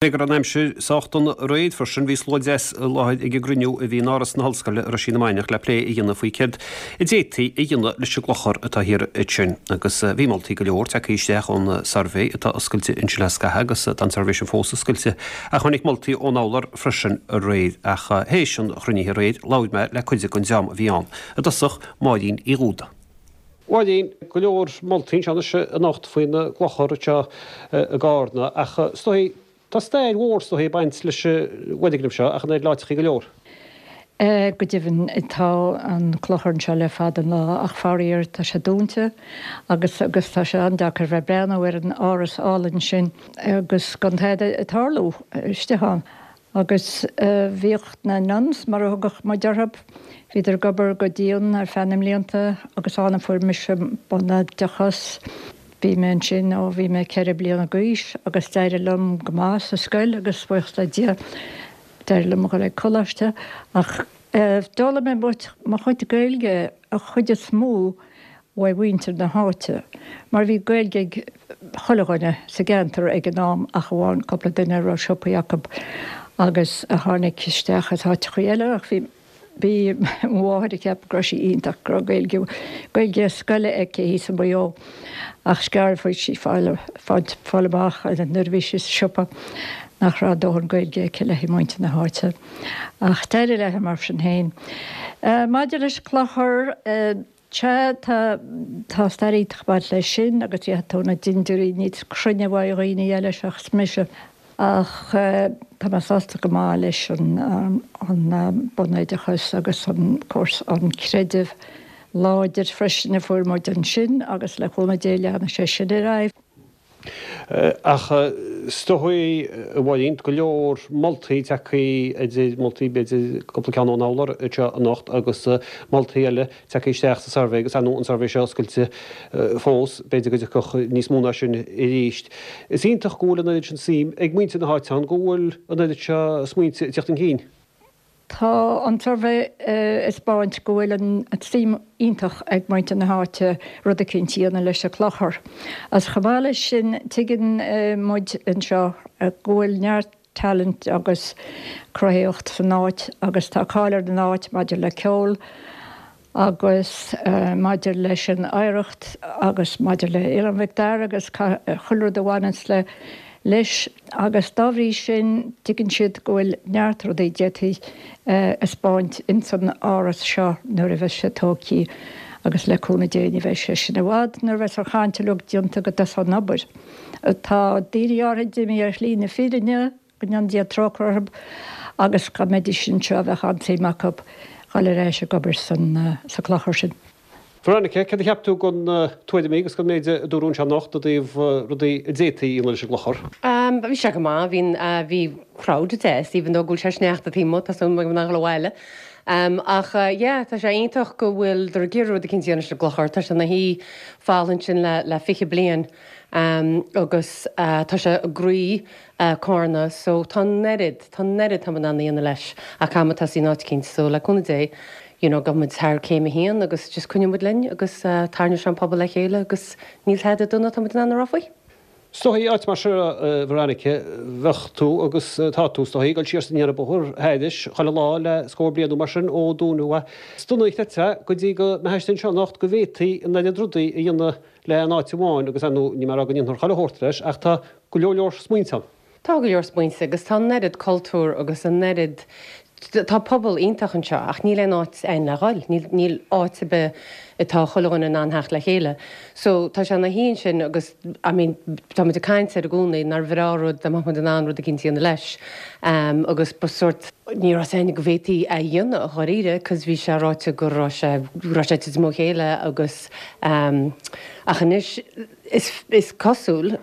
Cé go raibh an aimsir sách dona aréir freisin, bhí slua deas i láthair ag an gcruinniú a bhí in Áras na hOllscoile i Roisín na Mainiach le plé a dhéanamh faoi céard a d'fhéadfaí a dhéanamh leis an gclochar atá thiar ansin. Agus bhí moltaí go leor tagtha isteach ón suirbhé atá oscailte ansin le scaitheamh agus tá an suirbhé sin fós oscailte ach tháinig moltaí ón urlár freisin aréir. Ach théis an chruinnithe aréir labhair mé le cuid den dream a bhí ann. I dtosach, Máirín Uí Dhúda. Máirín, go leor moltaí anseo anois anocht faoin gclochar anseo i gCarna ach is dóigh, tá stair mhór is dóigh ag baint leis an bhfoirgneamh seo ach an oiread le áiteachaí go leor. Go deimhin tá an clochar anseo le fada an lá ach faraor tá sé dúnta agus agus tá sé an-deacair bheith ag breathnú ar an áras álainn sin agus gan tada ag tarlú istigh ann. Agus bhíodh na nuns, mar a thugadh muid orthu, bhíodar ag obair go dian ar feadh na mblianta agus ann a fuair mise bunoideachas. Bhí mé ansin ó bhí mé 4 bliana d'aois agus d'éirigh liom go maith sa scoil agus buíochas le Dia d'éirigh liom a dhul ag coláiste. Ach d'fhoghlaim mé mo chuid Gaeilge, an chuid is mó, uaidh mhuintir na háite, mar bhí Gaeilge ag chuile dhuine sa gceantar ag an am ach amháin cúpla duine a raibh siopaí acu agus a tháinig isteach as áiteachaí eile ach bhí bhí mo mháthair ag ceapadh go raibh sí iontach go raibh Gaeilge Gaeilge scoile aici thíos i Maigh Eo ach is gearr a fuair sí fáil fáil amach nuair a bhí sí sa siopa nach raibh dóthain Gaeilge aici le haghaidh muintir na háite ach d'éirigh léi mar sin féin. Maidir leis an clochar Sea, tá, tá stair iontach ag baint leis sin agus gheobhaidh tú na dintiúirí níos cruinne uaidh dhaoine eile seachas mise. Ach tá mé sásta go maith leis an, an bunoideachas agus an cúrsa, an creideamh láidir freisin a fuair muid ansin agus le cúnamh Dé leanfaidh sé sin ar aghaidh. Ach is dóigh, a Mháirín, go leor moltaí tagtha idir moltaí b'fhéidir cúpla ceann ón urlár anseo anocht agus moltaí eile tagtha isteach sa suirbhé agus ar ndóigh an suirbhé seo oscailte fós, b'fhéidir go dtiocfadh níos mó ná sin arís. Is iontach go bhfuil an oiread sin suim ag muintir na háite ann, go bhfuil an oiread seo smaointe ag teacht chun cinn. Tá an suirbhé ag 'spáint go bhfuil an tsuim iontach ag muintir na háite rud eicínt a dhéanamh leis an clochar. Agus chomh maith leis sin tuigeann muid anseo go bhfuil neart talent agus cruthaitheacht san áit agus tá cáil ar an áit maidir le ceol agus maidir leis an oidhreacht agus maidir le Oileán Mhic Dara agus chuile rud a bhaineanns le leis agus dá bhrí sin tuigeann siad go bhfuil neart rudaí a d'fhéadfaí a 'spáint ins an áras seo nuair a bheas sé tógthaí agus le cúnamh Dé ní bheidh sé sin i bhfad nuair a bheas an chaint uilig déanta go dtosóidh an obair. Tá daoine áirithe imithe ar shlí na fírinne. Go ndéana Dia trócaire orthu agus dá mbeidís anseo bheadh an-tsuim acu dhul ar ais ag obair sa clochar sin. Veronica, céard a cheap tú den tuairimí agus den méid a dúradh anseo anocht i dtaobh rudaí a d'fhéadfaí a dhéanamh leis an gclochar? Bhí sé go maith. Bhí, bhí crowd deas, even though go bhfuil sé sneachta taobh amuigh, tá súil agam nach bhfuil abhaile. Ach yeah, tá sé iontach go bhfuil ag iarraidh rud eicínt a dhéanamh leis an gclochar. Tá sé ina shuí folamh ansin le le 20 bliain agus tá sé i gcroí Carna so tá an oiread, tá an oiread tá muid in ann a dhéanamh leis ach caithfidh muid tosaí in áit eicínt so le cúnamh Dé you know gabhfaidh muid thar céim a haon agus just coinneoidh muid linn agus tarraingeoidh sé an pobal le chéile agus níl tada dona atá muid in ann a rá faoi. Is dóigh, áit mar seo, a Veronica, bheadh tú agus tá tú, is dóigh, ag dul siar is aniar an bóthar thairis chuile lá le scór bliain nó mar sin ó dúnadh é. Is dona a chreidfeá go dtí go mbeifeá istigh anseo anocht go bhféadfaí an oiread rudaí a dhéanamh le in áit amháin agus ar ndóigh níl mé ag rá go ndéanfar chuile shórt leis ach tá go leor leor smaointe ann. Tá go leor smaointe agus tá an oiread cultúr agus an oiread, tá pobal iontach anseo ach níl aon áit ann le dhul, níl, níl áit ar bith atá chuile dhuine in ann theacht le chéile. So tá sé ina shuí ansin agus I mean tá muid ag caint air i gcónaí nár bhreá rud dá mbeadh muid in ann rud eicínt a dhéanamh leis agus ba sórt, ní raibh a fhios againn go bhféadfaí é a dhéanamh dháiríre cos bhí sé ráite go raibh sé, go raibh sé ag titim ó chéile agus ach anois is, is cosúil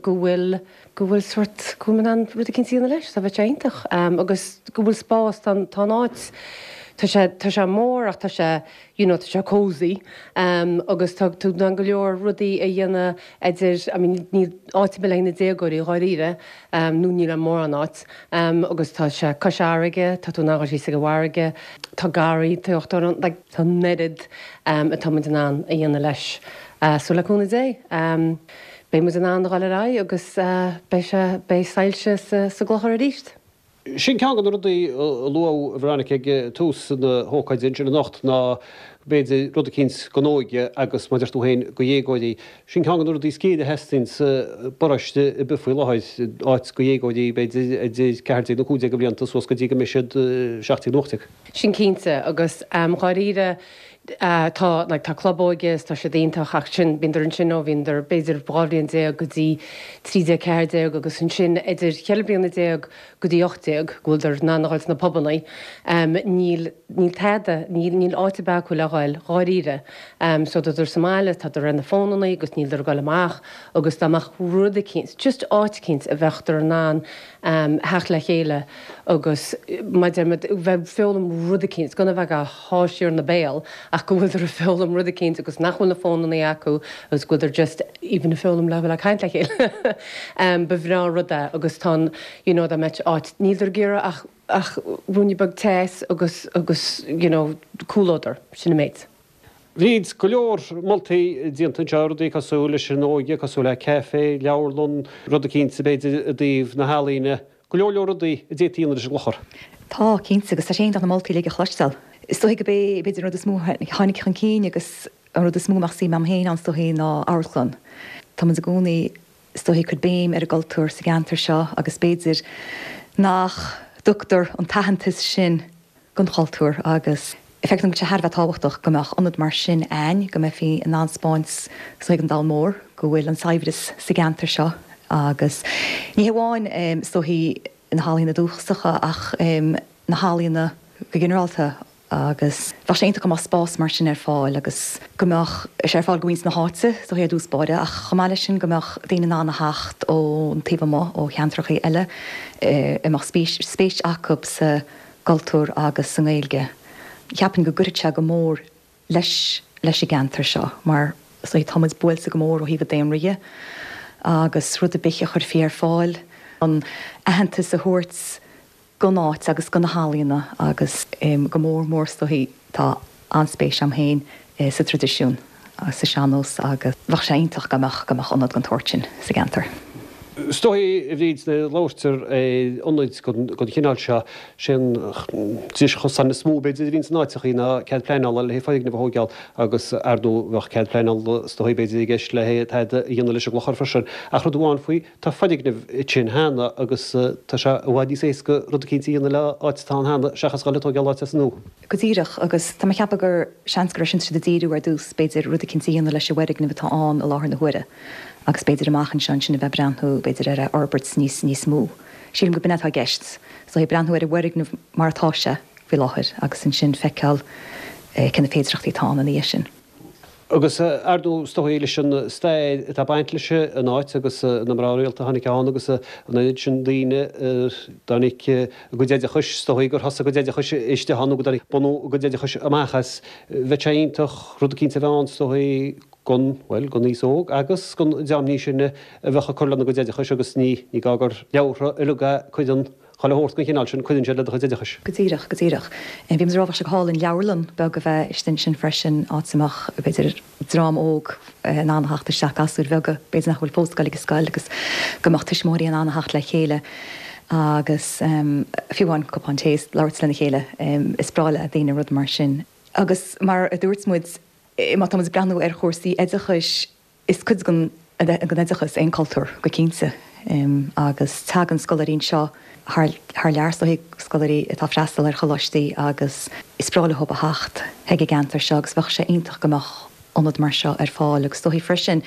go bhfuil, go bhfuil sórt, go bhfuil muid in ann rud eicínt a dhéanamh leis, so bheadh sé iontach agus go bhfuil spás, tá an, tá an áit, tá sé, tá sé mór ach tá sé, you know, tá sé cosy agus tá tú in ann go leor rudaí a dhéanamh idir, I mean níl áit ar bith le haghaidh na déagóirí dháiríre nó níl ann mórán áit agus tá sé cois fharraige, tá tú in ann dhul síos ag an bhfarraige, tá garraí taobh ann, like tá an oiread atá muid in ann a dhéanamh leis. So le cúnamh Dé, beidh. Beidh muid in ann a dhul ar aghaidh agus beidh sé, beidh soilse sa, sa gclochar arís. Sin ceann de na rudaí a luadh Veronica ag tús na hócáide ansin anocht ná b'fhéidir rud eicínt don óige agus mar a deir tú féin do dhéagóirí. Sin ceann de na rudaí is géire a theastaíonn sa bparóiste ar bith faoi láthair, áit do dhéagóirí b'fhéidir idir 14 nó 15 de bhlianta suas go dtí go mbeidh siad 17 nó 18. Sin cinnte agus dháiríre tá like tá club óige is tá siad iontach ach sin bíondar ansin ó bhíondar b'fhéidir 12 bhliain go dtí 13 14 agus ansin idir cheithre bliana déag go dtí 18 go bhfuildar in ann a dhul sna pubannaí níl níl tada níl níl áit ar bith acu le dhul dháiríre so tádar sa mbaile tádar ar na fónannaí agus níldar ag dul amach agus dá mbeadh rud eicínt just áit eicínt a bheadh in ann theacht le chéile agus mar a deir muid, bheith ag foghlaim rud eicínt, gan a bheith á shá siar ina béal ach go bhfuiltear ag foghlaim rud eicínt agus nach bhfuil na fónannaí acu agus go bhfuiltear just even ag foghlaim le bheith ag caint le chéile. Ba bhreá an rud é agus tá an, you know, dá mbeadh áit, níltear ag iarraidh ach, ach ruainne beag teas agus, agus, you know, comhluadar, sin an méid. Bhí go leor moltaí déanta anseo, rudaí cosúil leis an óige, cosúil le caife, leabharlann, rud eicínt b'fhéidir i dtaobh na healaíne, go leor leor rudaí a d'fhéadfaí a dhéanamh leis an gClochar. Tá, cinnte, agus tá sé iontach na moltaí uilig a chloisteáil. Is dóigh gurb é, b'fhéidir, an rud is mó a tháinig chun cinn agus an rud is mó a mbeadh suim agam féin ann is dóigh ná amharclann. Tá muid i gcónaí, is dóigh, ag cur béim ar an gcultúr sa gceantar seo agus b'fhéidir nach dtugtar an t-aitheantas sin don chultúr agus feictear dom go bhfuil sé thar a bheith tábhachtach go mbeadh ionad mar sin a'ainn, go mbeifí in ann 'spáint is dóigh don domhan mór go bhfuil an saibhreas sa gceantar seo agus ní hamháin is dóichí na healaíona dúchasacha ach na healaíona go ginearálta agus bheadh sé iontach go mbeadh spás mar sin ar fáil agus go mbeadh sé ar fáil do mhuintir na háite is dóichí ar dtús báire ach chomh maith leis sin go mbeadh daoine in ann a theacht ón taobh amuigh, ó cheantracha eile a mbeadh spéis acu sa gcultúr agus sa nGaeilge. Cheapfainn go gcuirfeadh sé go mór leis leis an gceantar seo mar is dóigh tá muid buailte go mór ó thaobh an daonra dhe agus rud ar bith a chuirfí ar fáil chun aitheantas a thabhairt don áit agus do na healaíona agus go mór mór is dóigh tá an-spéis a'm féin sa traidisiún. sa sean-nós agus bheadh sé iontach dá mbeadh go mbeadh ionad den tsórt sin sa gceantar. Is dóigh, a Bhríd, nuair a labhartar ar ionaid den chineál seo, sé an dris chosáin is mó b'fhéidir a bhíonn in áiteachaí ná cead pleanála le haghaidh foirgneamh a thóigeáil agus ar ndóigh bheadh cead pleanála is dóigh b'fhéidir i gceist le haghaidh tada a dhéanamh leis an gclochar freisin. Ach rud amháin faoi, tá foirgneamh ansin cheana agus tá sé i bhfad níos éasca rud eicínt a dhéanamh le áit atá ann cheana seachas dhul ag tóigeáil áit as an nua. Go díreach, agus tá mé ag ceapadh gur seans gur air sin tá siad ag díriú ar dtús, b'fhéidir, rud eicínt a dhéanamh leis an bhfoirgneamh atá ann i láthair na huaire agus b'fhéidir amach anseo ansin a bheith ag breathnú, b'fhéidir, ar a fhorbairt níos, níos mó. Sílim go b'in é atá i gceist, is dóigh, breathnú ar an bhfoirgneamh mar atá sé faoi láthair agus ansin feiceáil cé na féidearthachtaí atá ann ina dhiaidh sin. Agus ar ndóigh, is dóigh, leis an stair atá ag baint leis an áit agus na mná rialta a tháinig ann agus an oiread sin daoine a dtáinig a gcuid oideachais, is dóigh gur thosaigh a gcuid oideachais istigh ann nó go dtáinig bunú a gcuid oideachais amach as. Bheadh sé iontach rud eicínt a bheith ann, is dóigh, don, bhuel, don aos óg agus don dream níos sine a bheadh ag cur lena gcuid oideachais agus ní, ní gá gur leabhartha uilig a cuireann Chuile shórt den chineál sin, cuireann siad le do chuid oideachais. Go díreach, go díreach. Bhí muid ag rá bheadh sé go hálainn leabharlann beag a bheith istigh ansin freisin, áit a mbeadh, b'fhéidir, dream óg in ann a theacht isteach, gasúir bheaga, b'fhéidir nach bhfuil fós ag dul ag an scoil agus go mbeadh tuismitheoirí in ann a theacht le chéile agus fiú amháin cupán tae is labhairt lena chéile. Is breá le daoine rud mar sin. Agus mar a dúirt muid, má tá muid ag breathnú ar chúrsaí oideachais, Is cuid den oideachas é an cultúr, go cinnte, agus tagann scoláirí anseo thar lear, is dóigh, scoláirí atá ag freastal ar choláistí agus is breá leo a theacht chuig an gceantar seo agus bheadh sé iontach go mbeadh ionad mar seo ar fáil agus is dóigh freisin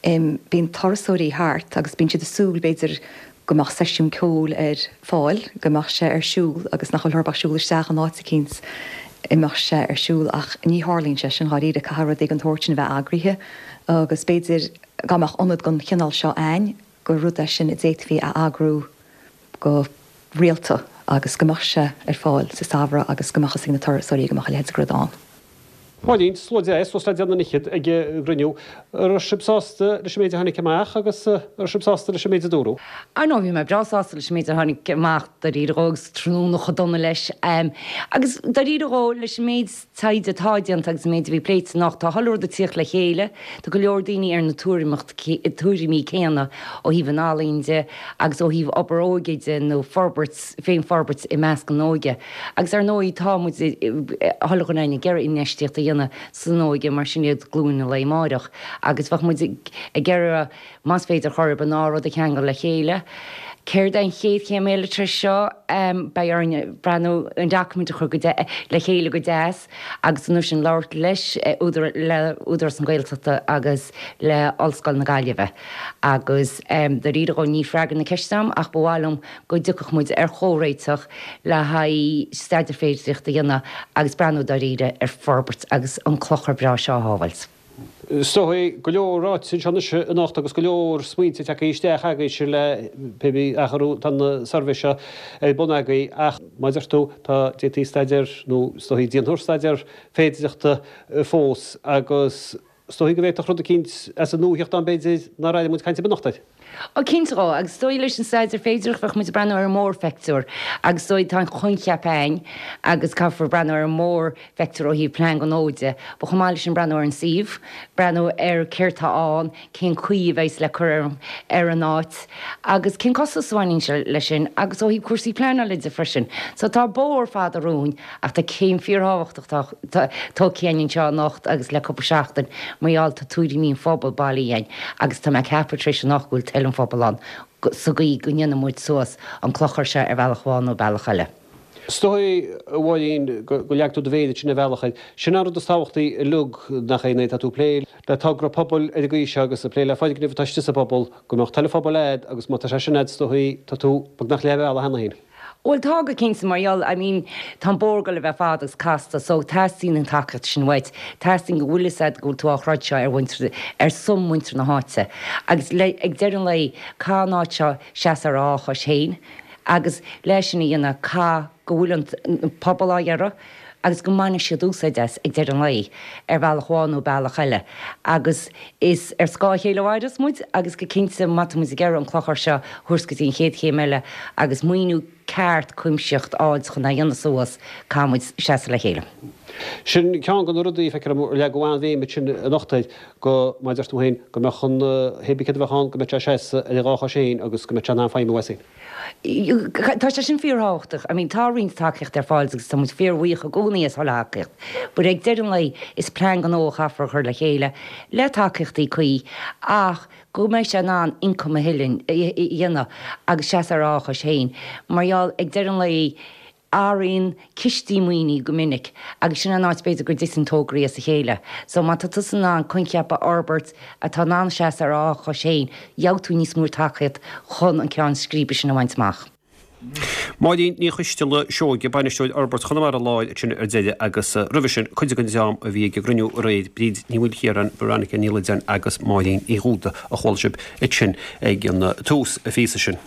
bíonn turasóirí thart agus bíonn siad ag súil b'fhéidir go mbeadh seisiún ceoil ar fáil, go mbeadh sé ar siúl agus nach bhfuil orthu ach siúl isteach in áit eicínt a mbeadh sé ar siúl ach ní tharlaíonn sé sin dháiríre, caithfidh rudaí den tsórt sin a bheith eagraithe agus b'fhéidir dá mbeadh ionad den chineál seo a'ainn gur rud é sin a d'fhéadfaí a eagrú go rialta agus go mbeadh sé ar fáil sa samhradh agus go mbeadh fhios ag na turasóirí go mbeadh a leithéid de rud ann. Máirín, Slua deas suas le deich nduine fhichead ag an gcruinniú. An raibh sibh sásta leis an méid a tháinig amach agus an raibh sibh sásta leis an méid a dúradh? Ar ndóigh bhí mé breá sásta leis an méid a tháinig amach dáiríre dhó agus tráthnóna chomh dona leis. Agus dáiríre dhó leis an méid taighde atá déanta agus an méid a bhí pléite anocht, tá chuile rud ag tíocht le chéile, tá go leor daoine ar na tuairimí céanna ó thaobh an ealaín de agus ó thaobh obair óige de nó forbairt, féinfhorbairt i measc an óige. Agus ar ndóigh tá muid, chuile dhuine againn ag iarraidh infheistíocht a dhéanamh san óige mar sin iad glúin an lae amáireach agus bheadh muid ag iarraidh más féidir chor ar bith an dá rud a cheangal le chéile. Céard é an chéad chéim eile tar éis seo? Beidh orainn breathnú an document a chur le chéile go deas agus an uair sin labhairt leis le Údarás na Gaeltachta agus le Ollscoil na Gaillimhe agus dáiríre dhó níl freagra na ceiste agam ach ba mhaith liom go dtiocfadh muid ar chomhréiteach le haghaidh staidéar féidearthachta a dhéanamh agus breathnú dáiríre ar forbairt agus an clochar breá seo a shábháilt. Is dóigh go leor ráite anseo anois anocht agus go leor smaointe tagtha isteach agaibhse le pé bí athrú tá an suirbhé seo ar bun agaibh ach mar a deir tú tá d'fhéadfaí staidéar nó is dóigh déanfar staidéar féidearthachta fós agus Is dóigh go bhféadfadh rud eicínt as an nua theacht ann b'fhéidir nár airigh muid caint ar bith anocht air. Ó cinnte dhó, agus is dóigh leis an staidéar féidearthachta bheadh muid ag breathnú ar an mórphictiúr agus is dóigh tá an coincheap a'ainn agus caithfear breathnú ar an mórphictiúr ó thaobh plean gnó de, but chomh maith leis sin breathnú ar an suíomh, breathnú ar céard tá ann, cén chaoi a bheidhs le cur ar ar an áit agus cén costas a bhaineann sé leis sin agus ó thaobh cúrsaí pleanála de freisin. So tá bóthar fada romhainn ach tá céim fíorthábhachtach tógtha againn anseo anocht agus le cúpla seachtain mar gheall tá tuairimí an phobail bailithe againn agus tá mé ag ceapadh tar éis anocht go bhfuil toil an phobail ann sa gcaoi go ndéanfaidh muid suas an clochar seo ar bhealach amháin nó bealach eile. Is dóigh, a Mháirín, go leag tú do mhéar ansin ar bhealach air. Sin an rud is tábhachtaí uilig, nach é, nuair atá tú ag plé le togra pobail ar an gcaoi seo agus ag plé le foirgneamh atá istigh sa bpobal, go mbeadh toil an phobail a'd agus má tá sé sin a'd is dóigh tá tú beagnach leath bealaigh cheana féin. Bhuel tá go cinnte mar gheall, I mean tá an bóthar ag goil a bheith fada agus casta so teastaíonn an tacaíocht sin uait, teastaíonn go bhfuil fhios a'd go bhfuil tú á throid seo ar mhuintir, ar son muintir na háite agus le, ag deireadh an lae caithfidh an áit seo seasamh ar a dhá chois féin agus le sin a dhéanamh caithfidh go bhfuil an pobal á iarraidh agus go mbainfidh siad úsáid as ag deireadh an lae, ar bhealach amháin nó bealach eile. Agus is ar scáth a chéile a mhaireas muid agus go cinnte má tá muid ag iarraidh an clochar seo a thabhairt go dtí an chéad chéim eile agus maoiniú ceart cuimsitheach a fháilt chun é a dhéanamh suas, caithfidh muid seasamh le chéile. Sin ceann de na rudaí, feictear dom, ar leagadh an-bhéim ansin anocht air, go, mar a deir tú féin, go mbeadh an, hé bí céard a bheadh ann, go mbeadh sé ag seasamh ar a dhá chois féin agus go mbeadh sé in ann feidhmiú as féin. Tá sé sin fíorthábhachtach. I mean tá roinnt tacaíocht ar fáil agus tá muid fíorbhuíoch i gcónaí as chuile thacaíocht. But ag deireadh an lae is plean gnó a chaithfear a chur le chéile le tacaíochtaí cuí ach go mbeidh sé in ann ioncam a thuilleadh, a dhéanamh agus seasamh ar a dhá chois féin. Mar gheall ag deireadh an lae athraíonn cistí maoinithe go minic agus sin an áit b'fhéidir go dtiteann tograí as a chéile. So má tá tusa in ann coincheap a fhorbairt atá in ann seasamh ar a dhá chois féin, gheobhaidh tú níos mó tacaíocht chun an ceann scríbe sin a bhaint amach. Máirín Ní Choisteala Seoige, Bainisteoir Fhorbairt Chonamara Láir ansin ar deireadh agus roimhe sin cuid den dream a bhí ag an gcruinniú aréir, Bríd Ní Mhaoilchiaráin, Veronica Ní Loideáin agus Máirín Uí Dhúda a chuala sibh ansin ag an tús, an phíosa sin.